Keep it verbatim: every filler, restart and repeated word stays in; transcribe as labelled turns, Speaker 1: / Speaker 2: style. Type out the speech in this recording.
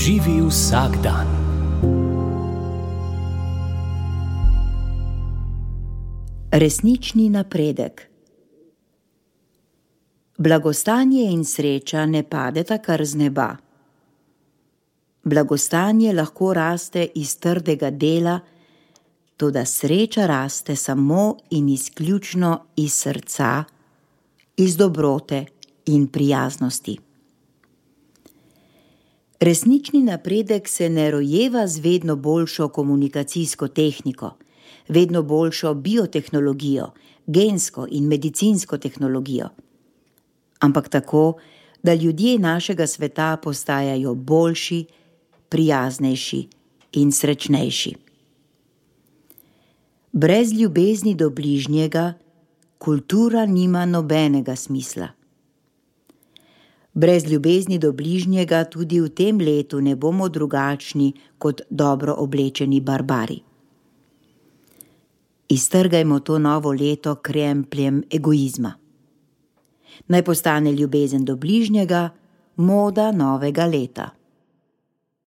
Speaker 1: Živi vsak dan.
Speaker 2: Resnični napredek. Blagostanje in sreča ne padeta kar z neba. Blagostanje lahko raste iz trdega dela, toda sreča raste samo in izključno iz srca, iz dobrote in prijaznosti. Resnični napredek se ne rojeva z vedno boljšo komunikacijsko tehniko, vedno boljšo biotehnologijo, gensko in medicinsko tehnologijo, ampak tako, da ljudje našega sveta postajajo boljši, prijaznejši in srečnejši. Brez ljubezni do bližnjega kultura nima nobenega smisla. Brez ljubezni do bližnjega tudi v tem letu ne bomo drugačni kot dobro oblečeni barbari. Iztrgajmo to novo leto krempljem egoizma. Naj postane ljubezen do bližnjega moda novega leta.